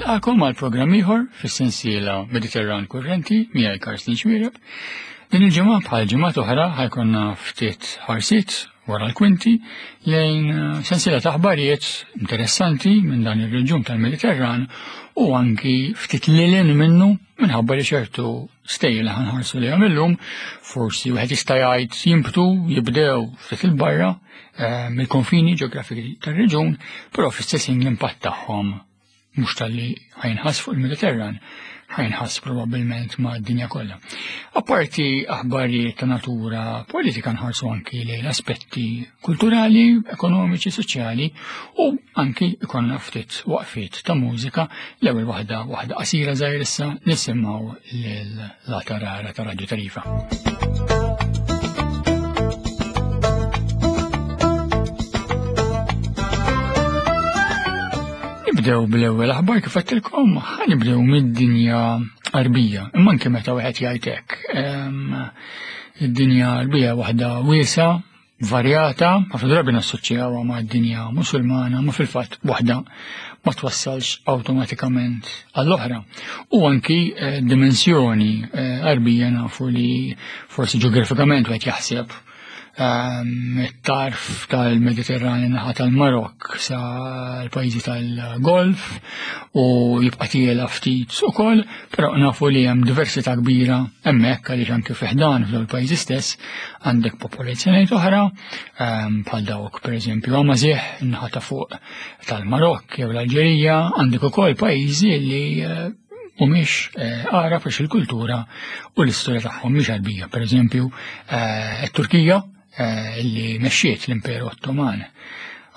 Nilqakom għal programm ieħor fis-sensiela Mediterran Kurrenti miegħi Karsten Xwiereb. Din il-ġimgħa bħal ġimgħat oħra ħajkonna ftit ħarsiet wara l-kwinti lejn eh, sensiela ta' aħbarijiet interessanti minn dan ir-reġjun tal-Mediterran u anki ftit lilin minnu minħabba li ċertu stejjer li ħanħarsu lejhom illum forsi wieħed jista' jgħid jimbtu jibdew ftit il-barra eh, mill-konfini ġeografiki tar-reġun, però fl-istess ħin l-impatt tagħhom mhux talli ħajnħass fuq il-Mediterran, ħajnħass probabbilment ma' dinja kollha. Apparti aħbarijiet ta' natura politika nħarsu anki lejn aspetti kulturali, ekonomiċi, soċjali u anki ikonna ftit waqfiet ta' mużika l-ewwel waħda waħda qasira żgħir issa nisimgħu lil La Tarara ta' Radio Tarifa. Nibdew bl-ewwel aħbar kif għedtilkom, ħanibdew mid-dinja qarbija, imma anke meta wieħed jgħid hekk. Id-dinja qarbija waħda wiesa, varjata, ħafna drabi nassoċjawha ma' dinja musulmana, ma fil-fatt waħda ma twassalx awtomatikament għall-oħra. U anki eh, dimensjoni eh, qarbija nafu li forsi ġeografikament wieħed jaħseb ehm, it-tarf tal-Mediterran naħa tal-Marok sa l-pajjiżi tal-Golf u jibqa' tiela ftit ukoll, però nafu li hemm diversità kbira hemmhekk għaliex anke fi ħdan f'dawn il-pajjiżi stess għandek popolazzjonijiet oħra ehm, bħal dawk pereżempju Amażih naħa ta' fuq tal-Marokk jew l-Alġerija, għandek ukoll pajjiżi li eh, mhumiex eh, Għarab għax il-kultura u l-istorja tagħhom mhix Għarbija. Pereżempju, eh, it-Turkija eh, li mexxiet l-Imperu Ottoman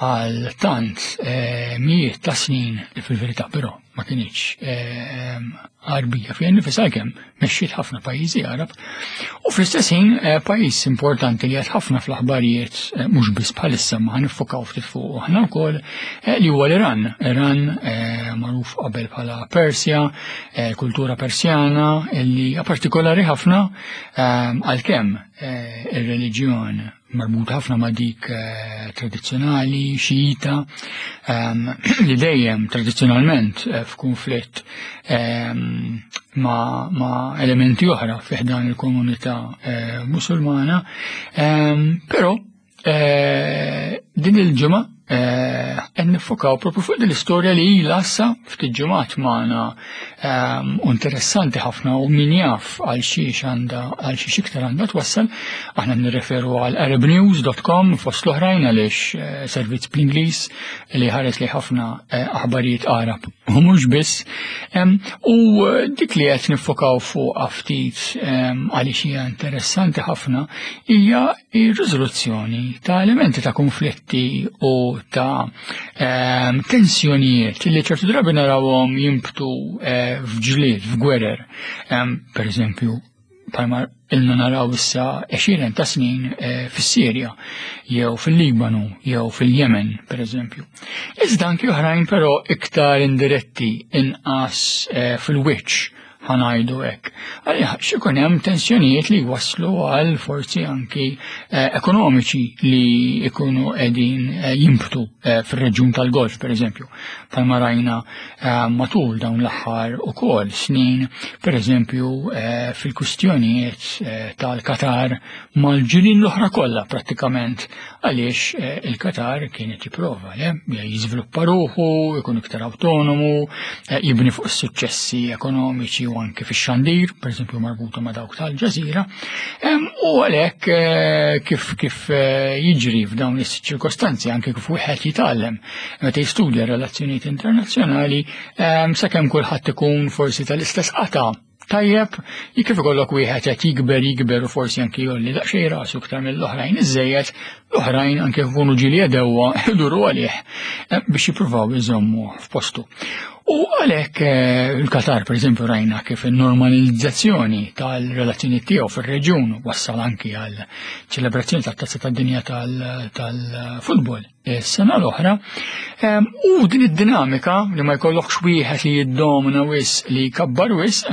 għal tant mijiet ta' snin li fil-verità però ma kinitx Għarbija fejn nifisha kemm mexxiet ħafna pajjiżi Għarab u fl-istess ħin eh, pajjiż importanti li qed ħafna fl-aħbarijiet eh, mhux biss bħalissa ma ħanifokaw ftit fuq aħna wkoll eh, li huwa l-Iran. Iran magħruf qabel bħala Persja, kultura Persjana li hija partikolari ħafna għalkemm ir-reliġjon marbut ħafna ma' dik eh, tradizzjonali, xiita, ehm, li dejjem tradizzjonalment eh, f'kunflitt ehm, ma', ma elementi oħra fiħdan il-komunità eh, musulmana, ehm, però din il-ġimgħa qed nifokaw propju fuq din l-istorja li ilha issa ftit ġimgħat magħna ehm, u interessanti ħafna u min jaf għal xiex għandha għal xiex iktar għandha twassal. Aħna nirreferu għal arabnews.com fost l-oħrajn għaliex eh, servizz bl-Ingliż li ħares li ħafna eh, aħbarijiet Arab u mhux biss. Ehm, u eh, dik li qed nifokaw fuq ftit ehm, għaliex hija interessanti ħafna hija ir-riżoluzzjoni ta' elementi ta' konflitti u ta' ehm, tensjonijiet li ċertu drabi narawhom jimbtu eh, f'ġlied, f'gwerer. Ehm, per eżempju, palma ilna naraw issa 20 ta' snin eh, fis-Sirja, jew fil-Libanu, jew fil-Jemen, per eżempju. Iżda anki oħrajn però iktar indiretti inqas eh, fil-wiċċ ħanajdu hekk. Għaliex x'ikun hemm tensjonijiet li jwasslu għal forzi anki eh, ekonomiċi li jkunu qegħdin eh, jimbtu eh, fir-reġjun tal-Golf pereżempju. Palma rajna matul dawn l-aħħar ukoll snin, pereżempju fil-kwistjonijiet tal-Qatar mal-ġirien l-oħra kollha prattikament għaliex eh, il-Qatar kienet jipprova le jiżviluppa ruħu, ikun iktar autonomu, eh, jibni fuq is-suċċessi ekonomiċi u anke fix-xandir, pereżempju marbuta ma' dawk tal-ġażira, u għalhekk eh, kif kif jiġri f'dawn is-ċirkostanzi anke kif wieħed jitgħallem meta jistudja relazzjonijiet internazzjonali sakemm kulħadd ikun forsi tal-istess qata' Tajjeb, kif ikollok wieħed qed jikber jikber u forsi anki jolli daqsxejn rasu iktar mill-oħrajn iżejjed, l-oħrajn anke jkunu ġieli jedewwa iduru għalih eh, biex jippruvaw iżommu f'postu. U għalhekk eh, il-Qatar pereżempju rajna kif in-normalizzazzjoni tal-relazzjoni tiegħu fir-reġjun wassal anki għal ċelebrazzjoni tat-tazza tad-dinja tal-futbol. Is-sena l-oħra. U din id-dinamika li ma jkollokx wieħed li jiddomina wis li jkabbar wis,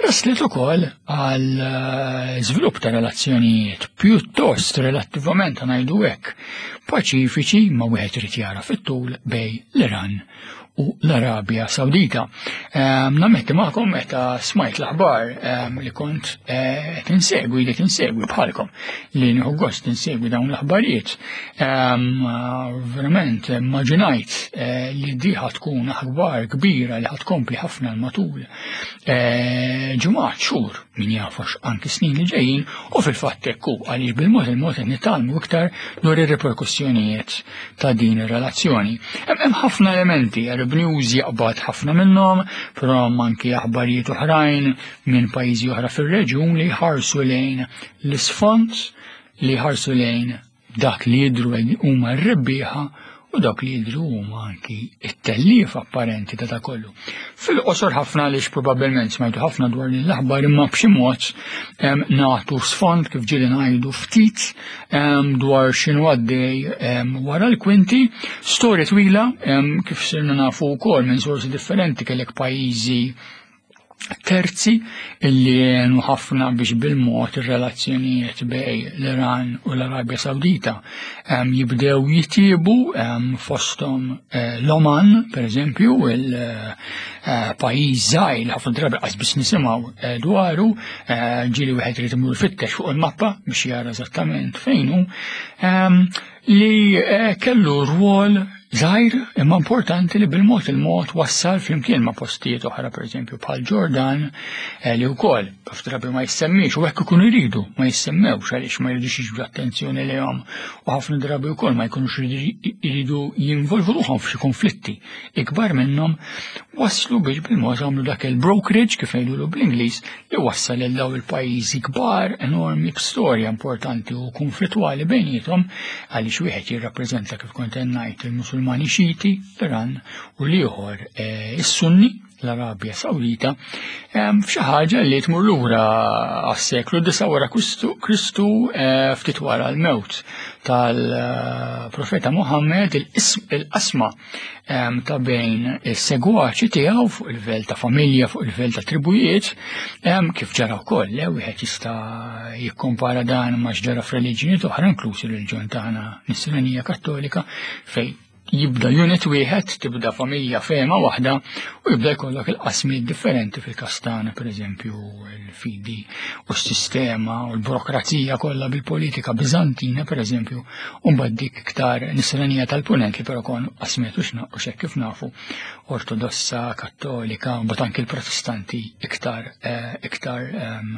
raslet ukoll għal eh, żvilupp ta' relazzjonijiet pjuttost relattivament ngħidu hekk paċifiċi ma wieħed irid jara fit-tul bej l-Iran. u l-Arabja Sawdita. Nammetti magħkom meta smajt l-aħbar li kont eh, qed insegwi li tinsegwi bħalkom li nieħu gost insegwi dawn l-aħbarijiet. Verament immaġinajt eh, li di tkun aħbar kbira li ħatkompli ħafna l-matul eh, ġimgħat xhur min jafax anki snin li ġejjin u fil-fatt hekk hu għaliex bil-mod il-mod qed nitgħallmu iktar dwar ir-riperkussjonijiet ta' din ir-relazzjoni. Hemm ħafna elementi, Arab News jaqbad ħafna minnhom, però anki aħbarijiet oħrajn minn pajjiżi oħra fir-reġjun li jħarsu lejn l-isfond li jħarsu lejn dak li jidhru huma r-rebbieħa u dawk li jidhru huma anki it-tellif apparenti ta' ta' kollu. Fil-qosor ħafna għaliex probabbilment smajtu ħafna dwar din l-aħbar imma b'xi mod nagħtu sfond kif ġieli ngħidu ftit dwar x'inhu għaddej wara l-kwinti, storja twila kif sirna nafu wkoll minn sorsi differenti kellek pajjiżi terzi illi għenu ħafna biex bil-mod ir-relazzjonijiet bej l-Iran u l-Arabja Sawdita jibdew jitjiebu fosthom eh, l-Oman, per eżempju, il-pajjiż eh, żgħir li ħafna drabi qas biss nisimgħu eh, dwaru, ġieli wieħed irid imur fittex fuq il-mappa biex jara eżattament fejn hu, li kellu rwol żgħir imma importanti li bil-mod il-mod wassal flimkien ma' postijiet oħra pereżempju bħal Ġordan eh, li wkoll kif drabi ma jissemmix u hekk ikunu jridu ma jissemmewx għaliex ma jridux jiġbdu attenzjoni lejhom u ħafna drabi wkoll ma jkunux jridu jinvolvu ruħhom f'xi konflitti ikbar minnhom waslu biex bil-mod għamlu dak il-brokerage kif ngħidulu bl-Ingliż li wassal lil daw il-pajjiżi kbar enormi b'storja importanti u konflittwali bejniethom għaliex wieħed jirrappreżenta kif kont ngħid il-Musulmani Xiti, l-Iran u l-ieħor eh, is-Sunni l-Arabja Sawdita f'xi ħaġa li tmur lura għas-seklu disa wara Kristu eh, ftit wara l-mewt tal-profeta Muhammad il-qasma ta' bejn is-segwaċi tiegħu fuq il-livell ta' familja, fuq il-livell ta' tribujiet, kif ġara wkoll, le wieħed jista' jikkompara dan ma' x'ġara f'reliġjonijiet oħra, inkluż ir-reliġjon tagħna Nisranija Kattolika, fejn jibda unit wieħed, tibda familja fema waħda u jibda jkollok il-qasmiet differenti fil-każ tagħna, pereżempju il-fidi u s-sistema u l-burokrazija kollha bil-politika Biżantina, pereżempju, U mbagħad dik iktar nisranija tal-punent li però kon qasmet u x'naq u x'hekk kif nafu ortodossa, kattolika, mbagħad anki l-protestanti iktar eh, iktar ehm,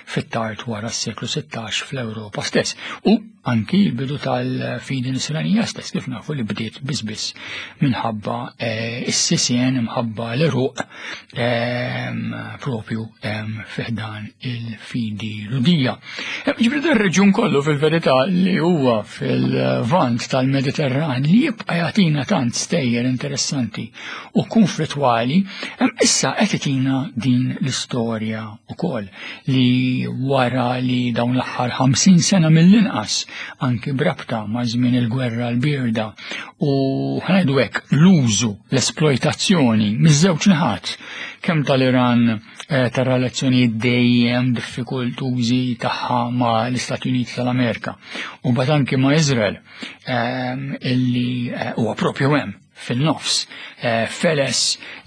fit-tard wara s-seklu 16 fl-Ewropa stess. U anki l-bidu tal-fidi nisranija stess kif nafu li bdiet biss biss minħabba eh, is-sisien imħabba l-eruq ehm, propju ehm, fiħdan il-fidi ludija. Ġifri dar reġjun kollu fil-verità li huwa fil-vant tal-Mediterran li jibqa' jagħtina tant stejjer interessanti u konflittwali, issa qed itina din l-istorja wkoll li wara li dawn l-aħħar 50 sena mill-inqas anki brabta ma' żmien il-gwerra l-birda u ħanajdu hekk l-użu, l-esploitazzjoni miż-żewġ naħat kemm tal-Iran Eh, ta' relazzjonijiet dejjem diffikultużi tagħha ma' l-Istati Uniti tal-Amerika u mbagħad anki ma' Izrael ehm, illi eh, huwa propju hemm fin-nofs eh, feles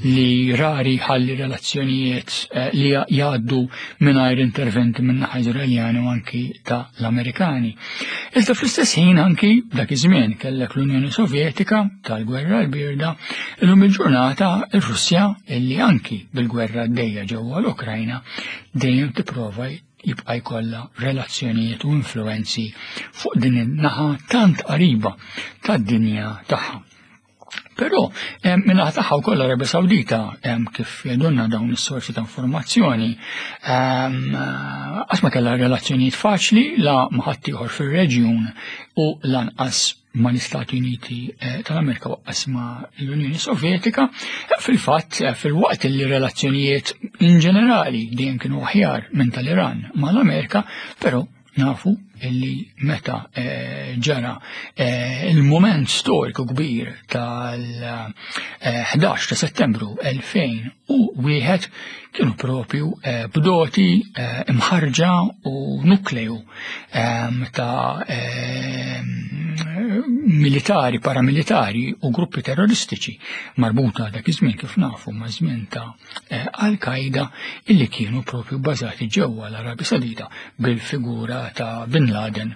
li rari ħalli relazzjonijiet li jgħaddu mingħajr interventi minn naħa Izraeljani u anki ta' l-Amerikani. Iżda fl-istess ħin anki dak iż-żmien kellek l-Unjoni Sovjetika tal-Gwerra l-Birda, illum il-ġurnata ir-Russja illi anki bil-gwerra għaddejja ġewwa l-Ukrajna dejjem tipprova jibqa' jkollha relazzjonijiet u influenzi fuq din in-naħa tant qariba tad-dinja tagħha. Però minnaħa tagħha wkoll l-Arabja Sawdita kif jgħidulna dawn is-sorsi ta' informazzjoni qatt ma kellha relazzjonijiet faċli la ma' ħaddieħor fir-reġjun u lanqas ma' l-Istati Uniti eh, tal-Amerika waqqas ma' l-Unjoni Sovjetika. Fil-fatt, eh, fil-waqt li relazzjonijiet in ġenerali dejjem kienu aħjar minn tal-Iran ma' l-Amerika, però Nafu illi meta eh, ġara eh, il-moment storiku kbir tal-11 ta' settembru 2001 kienu propju eh, bdoti imħarġa u nukleju ta' militari, paramilitari u gruppi terroristiċi marbuta dak iż-żmien kif nafu ma' żmien ta' eh, Al-Qaida illi kienu propju bbażati ġewwa l-Arabja Sawdita bil-figura ta' Bin Laden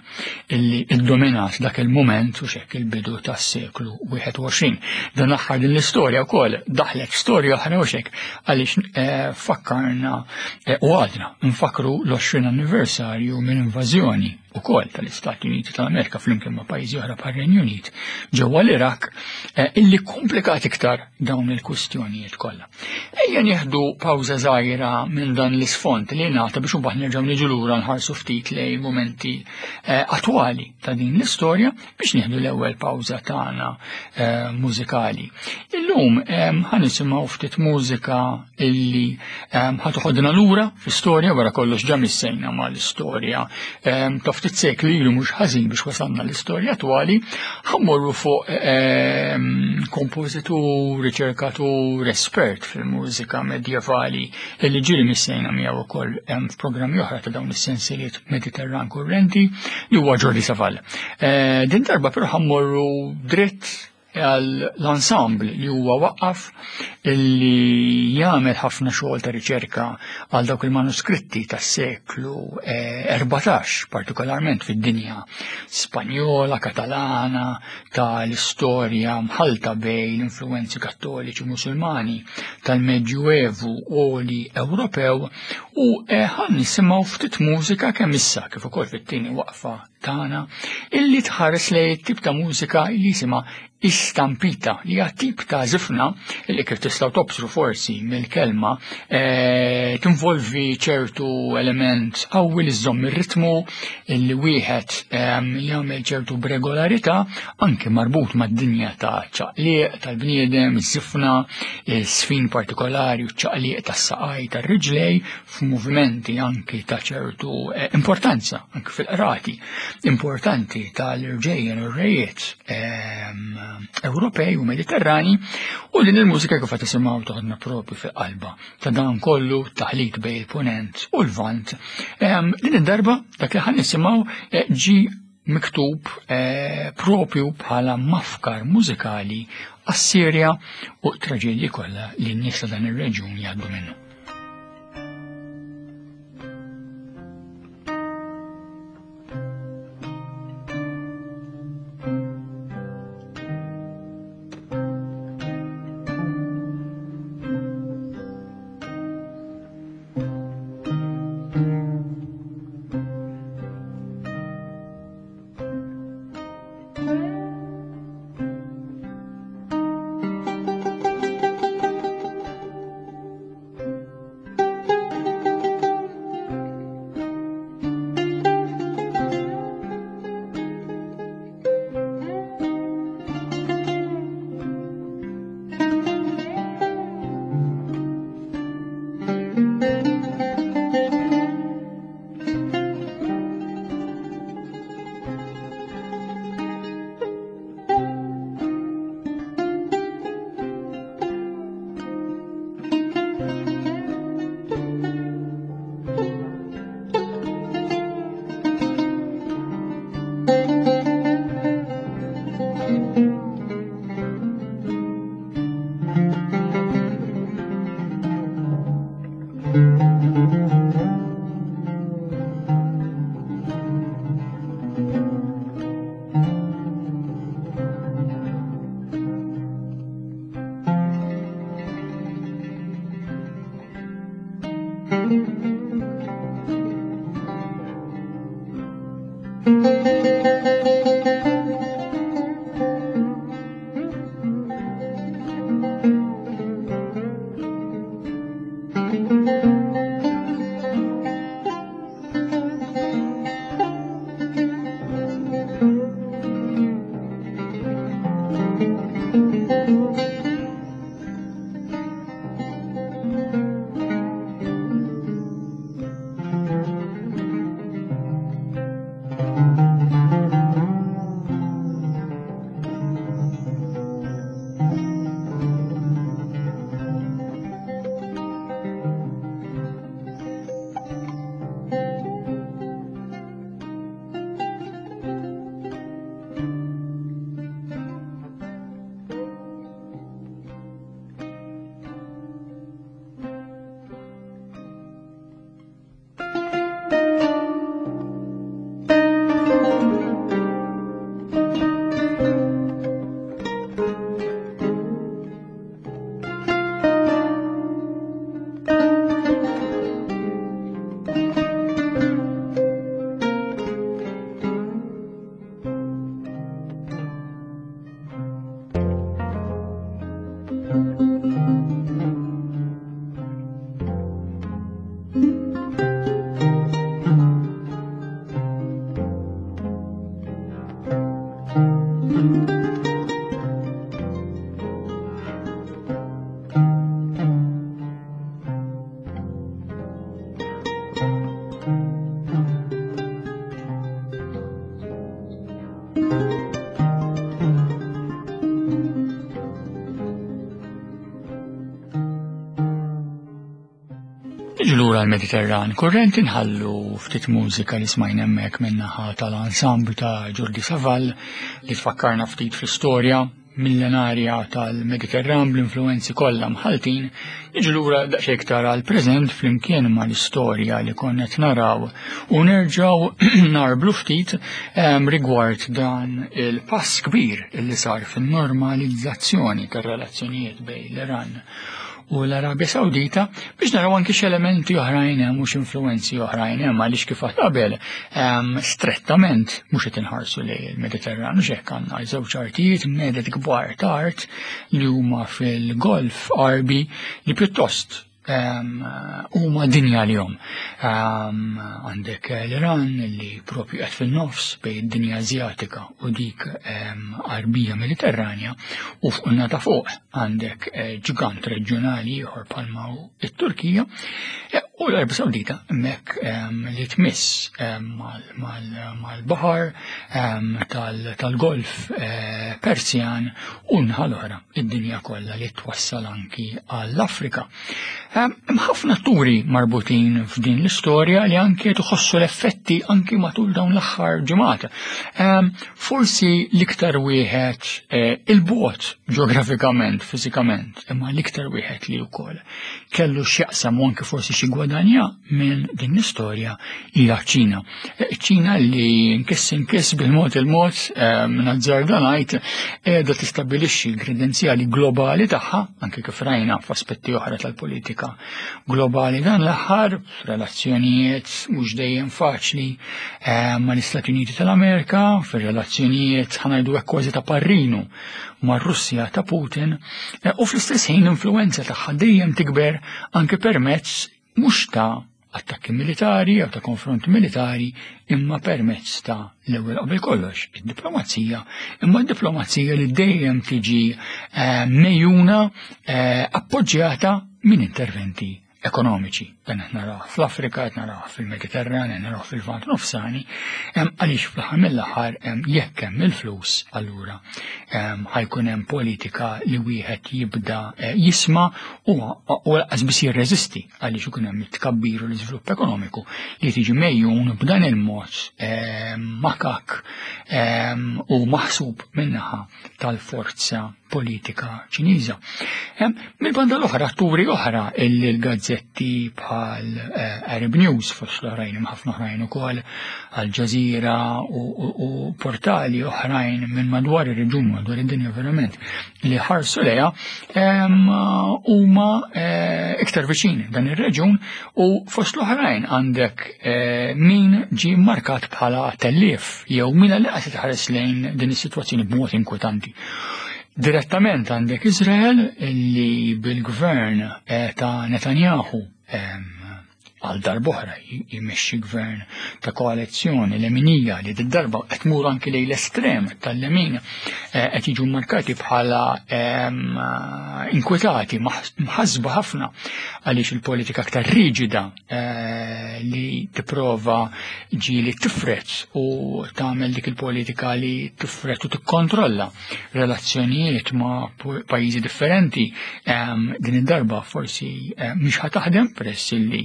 illi iddominat dak il-mument u xekk il-bidu tas-seklu 21. Dan aħħar din l-istorja wkoll daħlet storja oħra u xekk għaliex eh, fakkarna eh, u għadna nfakru l-20 anniversarju mill-invażjoni ukoll tal-Istati Uniti tal-Amerika flimkien ma' pajjiżi oħra bħar-Renju Unit ġewwa l-Iraq eh, illi komplikat iktar dawn il-kwistjonijiet kollha. Ejja nieħdu pawża żgħira minn dan l-isfond li ngħata biex imbagħad nerġgħu niġu lura nħarsu ftit lejn mumenti eh, attwali ta' din l-istorja biex nieħdu l-ewwel pawża tagħna eh, mużikali. Illum ħa nisimgħu ftit mużika illi ħa toħodna lura fl-istorja wara kollox ġa missejna mal-istorja ta' ftit sekli ilu mhux ħażin biex wasalna l-istorja attwali, ħammorru fuq kompożitur, riċerkatur, espert fil-mużika medjevali illi ġieli missejna miegħu wkoll f'programmi oħra ta' dawn is-sensiliet Mediterran kurrenti li huwa Jordi Savall. Eh, din darba però ħammorru dritt għall-ensemble li huwa waqqaf li jagħmel ħafna xogħol ta' riċerka għal dawk il-manuskritti tas-seklu 14, eh, partikolarment fid-dinja Spanjola, Katalana, tal-istorja mħalta bejn l-influenzi kattoliċi Musulmani tal-Medjuevu oli Ewropew u eh, ħan nisimgħu ftit mużika kemm issa kif ukoll fit-tieni waqfa tagħna illi tħares lejn tip ta' mużika li jisimha istampita li hija tip ta' żifna li kif tistgħu tobsru forsi mill-kelma eh, tinvolvi ċertu element qawwi li żżomm ir-ritmu li wieħed ehm, jagħmel ċertu b'regolarità anke marbut mad-dinja ta' ċaqliq tal-bniedem, iż-żifna, sfin partikolari u ċaqliq tas-saqaj tar-riġlej f'movimenti anki ta' ċertu eh, importanza, anki fil-qrati importanti tal-irġejjen u r-rejiet ehm, Ewropej u Mediterrani u din il-mużika kif qed tisimgħu toħodna propju fil-qalba ta' dan kollu taħlit bejn il-punent u l-vant. Ehm, din id-darba dak li ħan nisimgħu eh, ġi miktub eh, propju bħala mafkar mużikali għas-Sirja u t-traġedji kollha li n-nies ta' dan ir-reġjun jgħaddu minnu. lura l-Mediterran kurrent inħallu ftit mużika li smajna hemmhekk min-naħa tal-ensemble ta' Jordi Savall li tfakkarna ftit fl-istorja millenarja tal-Mediterran bl-influenzi kollha mħaltin, niġu lura daqsxejn iktar għall-preżent flimkien mal-istorja li konna qed naraw u nerġgħu narblu ftit ehm, rigward dan il-pass kbir li sar fin-normalizzazzjoni tar-relazzjonijiet bejn l-Iran u l-Arabja Sawdita biex naraw anki x'elementi oħrajn hemm u x'influwenzi oħrajn hemm għaliex kif għad qabel strettament mhux qed inħarsu lejn il-Mediterran u x'hekk għandna żewġ artijiet medet kbar ta' art li huma fil-Golf Arbi li pjuttost huma dinja li jom. Għandek l-Iran li propju qed fin-nofs bejn id-dinja Azjatika u dik Arbija Mediterranja u fuq ta' fuq għandek eh, ġigant reġjonali ieħor bħalma hu it-Turkija eh, u l-Arabja Sawdita hemmhekk ehm, li tmiss ehm, mal-baħar ehm, tal-Golf eh, Persjan u naħa l-oħra id-dinja kollha li twassal anki għall-Afrika. Hemm ħafna atturi marbutin f'din l-istorja li anki qed iħossu l-effetti anki matul dawn l-aħħar ġimgħat. Forsi l-iktar wieħed eh, il-bot ġeografikament, fiżikament, imma l-iktar wieħed li wkoll kellu x'jaqsam u anki forsi xi gwadanja minn din l-istorja hija ċina. Eh, ċina li nkiss inkiss bil-mod il-mod eh, minn azzarda ngħid qiegħda tistabbilixxi l-kredenzjali globali tagħha anke kif rajna f'aspetti oħra tal-politika globali dan l-aħħar relazzjonijiet mhux dejjem faċli eh, mal-Istati Uniti tal-Amerika, fir-relazzjonijiet ħanajdu hekk kważi ta' parrinu mar-Russja ta' Putin u fl-istess ħin l-influenza tagħha dejjem tikber anke permezz mhux ta' attakki militari jew ta' konfront militari imma permezz ta' l-ewwel qabel kollox id-diplomazija, imma d-diplomazija li dejjem tiġi eh, mejjuna eh, appoġġjata minn interventi ekonomiċi. Dan qed naraw fl-Afrika, qed naraw fil-Mediterran, qed naraw fil-Lvant Nofsani, għaliex fl-aħħar mill-aħħar jekk hemm il-flus allura ħajkun hemm politika li wieħed jibda eh, jisma' u lanqas biss jirreżisti għaliex ikun hemm it-tkabbir u l-iżvilupp ekonomiku li tiġi mejjun b'dan il-mod makak u maħsub minnaħa tal-forza politika Ċiniża. Mill-banda l-oħra, atturi oħra illi l-gazzetti bħal eh, Arab News fost l-oħrajn ħafna oħrajn ukoll Al Jazeera u portali oħrajn minn madwar ir-reġun madwar id-dinja verament li ħarsu leja huma eh, iktar viċin dan ir-reġun u fost l-oħrajn għandek eh, min ġie markat bħala tellief jew min li qed tħares lejn din is-sitwazzjoni b'mod inkwetanti. Direttament għandek Izrael li bil-gvern eh, ta' Netanyahu għal darb'oħra jmexxi gvern ta' koalizzjoni leminija li d-darba qed tmur anki lejn l-estrem tal-lemin eh, qed jiġu markati bħala ehm, inkwetati mħasba ħafna għaliex il-politika aktar riġida eh, li tipprova ġieli tifret u tagħmel dik il-politika li tifret u tikkontrolla relazzjonijiet ma' pajjiżi differenti ehm, din id-darba forsi eh, mhix ħa taħdem peress li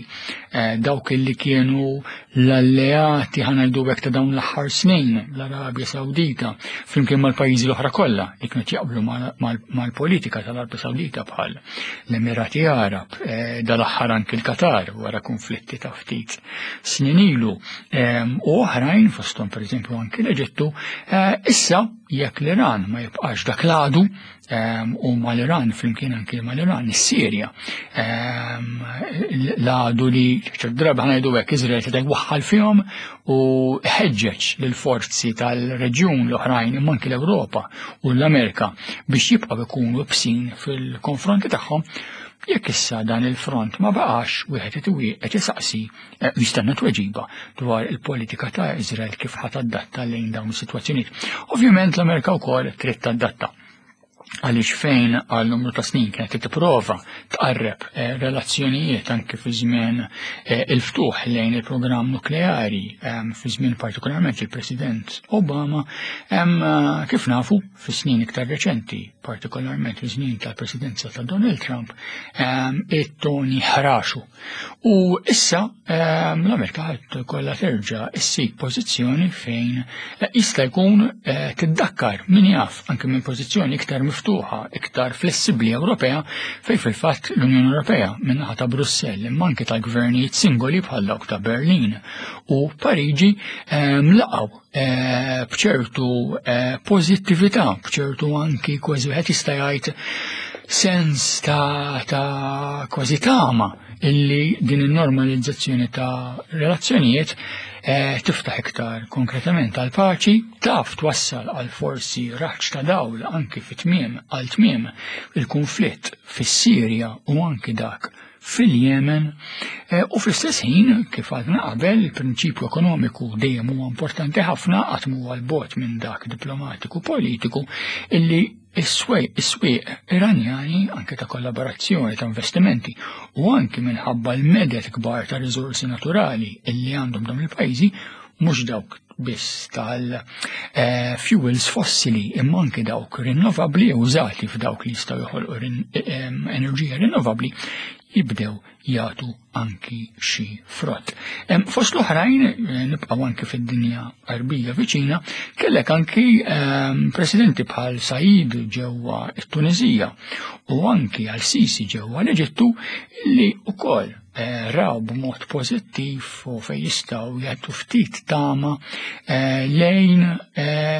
eh, dawk li kienu l-alleati ħanajdu hekk ta' dawn l-aħħar snin l-Arabja Sawdita flimkien mal-pajjiżi l-oħra kollha li kienu jaqblu mal-politika tal-Arabja Sawdita bħal l-Emirati Arab, eh, dal-aħħar anki l-Qatar wara konflitti ta' ftit snin ilu ehm, u oħrajn fosthom pereżempju anki l-Eġittu, issa Jekk l-Iran ma jibqax dak l-għadu ehm, u mal-Iran flimkien anki mal-Iran, is-Sirja, ehm, l-għadu li ċert drabi ħanajdu hekk Iżrael se waħħal fihom u ħeġġeġ lill-forzi tal-reġjun l-oħrajn imma anki l-Ewropa u l-Amerika biex jibqgħu jkunu bsin fil-konfronti tagħhom jekk issa dan il-front ma baqax wieħed qed isaqsi Eh, jistenna tweġiba dwar il-politika ta' Izrael kif ħat adatta lejn dawn is-sitwazzjonijiet. Ovvjament l-Amerika wkoll trid tadatta. Għaliex fejn għal numru ta' snin kienet tipprova tqarreb eh, relazzjonijiet anke fi żmien eh, il-ftuħ lejn il-programm nukleari fi żmien partikolarment il-President Obama, eh, kif nafu fi snin iktar reċenti, partikolarment fi żmien tal-presidenza ta' Donald Trump, it-toni ħraxu. U issa l-Amerika ħadd kollha terġa' issib pożizzjoni fejn jista' jkun eh, tiddakkar min jaf anke minn pożizzjoni iktar miftuħa, iktar flessibbli Ewropea fejn fil-fatt l-Unjoni Ewropea minn naħa ta' Brussell imma anke tal-gvernijiet singoli bħal dawk ta' Berlin u Pariġi laqgħu eh, b'ċertu eh, pożittività, b'ċertu anki kważi wieħed jista' jgħid sens ta', ta kważi tama illi din in-normalizzazzjoni ta' relazzjonijiet eh, tiftaħ iktar konkretament għal paċi, taf twassal għal forsi raġġ ta' dawl anki fit-tmiem għal tmiem il-konflitt fis-Sirja u anki dak fil-Jemen eh, u fl-istess ħin kif għadna qabel il-prinċipju ekonomiku dejjem huwa importanti ħafna qatt huwa l-bot minn dak diplomatiku politiku illi is-swieq Iranjani anke ta' kollaborazzjoni ta' investimenti u anke minħabba l-medet kbar ta' riżorsi naturali illi għandhom dawn il-pajjiżi mhux dawk biss tal-fuels fossili imma anke dawk rinnovabbli użati f'dawk li jistgħu joħolqu enerġija rinnovabbli jibdew jagħtu anki xi frott. Fost l-oħrajn, eh, nibqgħu anki fid-dinja Arbija viċina, kellek anki presidenti bħal Said ġewwa t-Tunizija u anki għal Sisi ġewwa l-Eġittu li wkoll eh, raw b'mod pożittiv u fejn jistgħu jagħtu ftit tama eh, lejn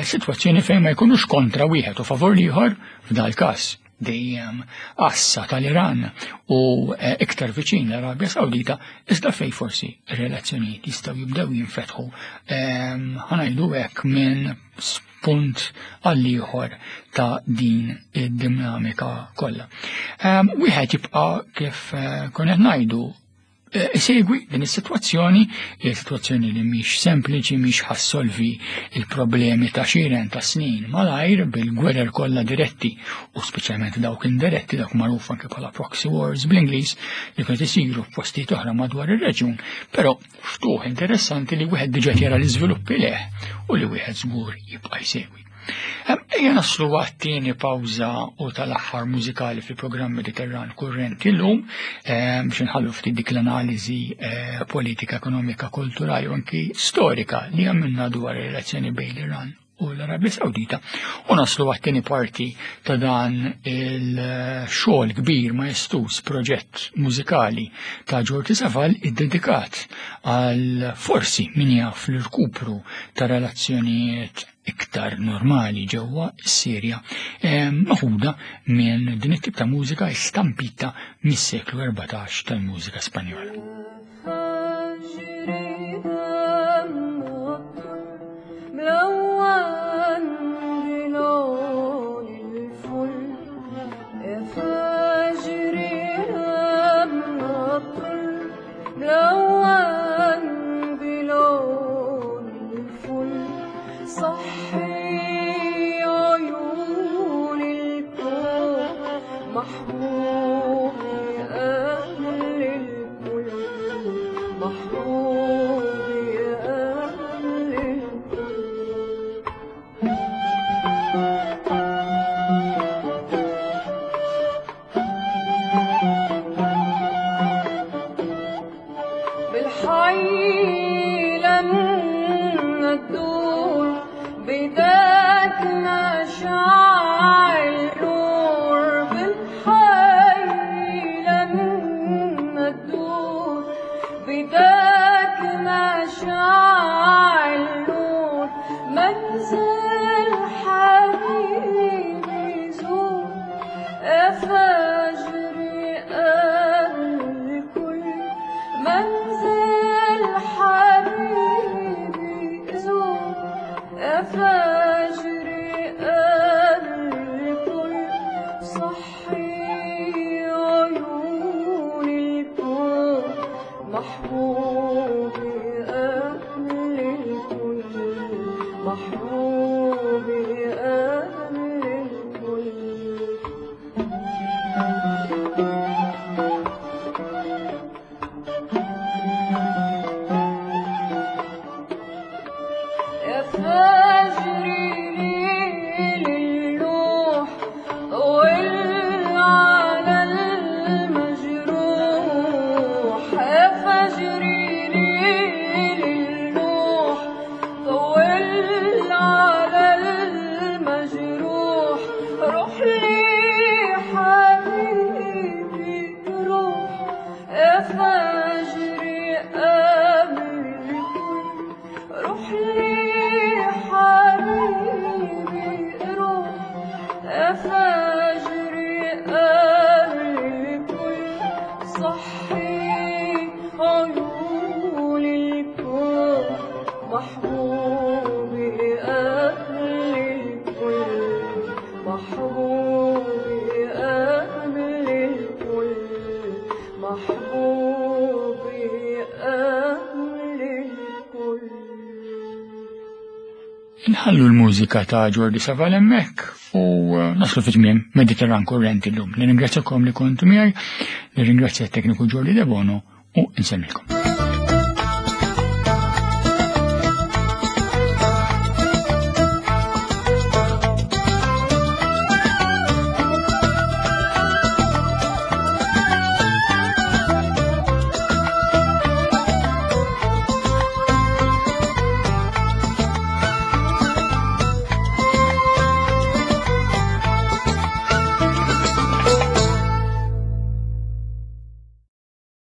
sitwazzjoni fejn ma jkunux kontra wieħed u favur l-ieħor f'dal każ dejjem għassa tal-Iran u eh, iktar viċin l-Arabja Sawdita, iżda fej forsi relazzjonijiet jistgħu jibdew jinfetħu ehm, ħanajdu hekk minn punt għall-ieħor ta' din id-dinamika kollha. Ehm, wieħed jibqa' kif eh, konna ngħidu Isegwi din is-sitwazzjoni, hija sitwazzjoni li mhix sempliċi, mhix ħassolvi il-problemi ta' xiren ta' snin malajr bil-gwerer kollha diretti u speċjalment dawk indiretti, dawk magħruf anke bħala proxy wars bl-Ingliż li kienu isiru f'postijiet oħra madwar ir-reġjun, però ftuħ interessanti li wieħed diġà jara l-iżviluppi leh u li wieħed żgur jibqa' jsegwi. Ejja naslu għat-tieni pawża u tal-aħħar mużikali fil-programm Mediterran Kurrenti llum biex nħallu ftit dik l-analiżi eh, politika, ekonomika, kulturali u anki storika li għamilna dwar ir-relazzjoni bejn l-Iran u l-Arabja Sawdita u naslu għat-tieni parti ta' dan il-xogħol kbir majestus proġett mużikali ta' Ġorti Saval iddedikat għal forsi min jaf l-irkupru ta' relazzjonijiet iktar normali ġewwa s-Sirja, maħuda minn din it-tip ta' mużika stampita mis-seklu 14 tal-mużika Spanjola. محبوبي أهل الكل محبوبي. Nħallu l-mużika ta' Jordi Saval hemmhekk u eh, naslu fi tmiem Mediterran Kurrenti llum. Nirringrazzjakom li kontu miegħi, nirringrazzja t-tekniku Jordi Debono u nsemmilkom.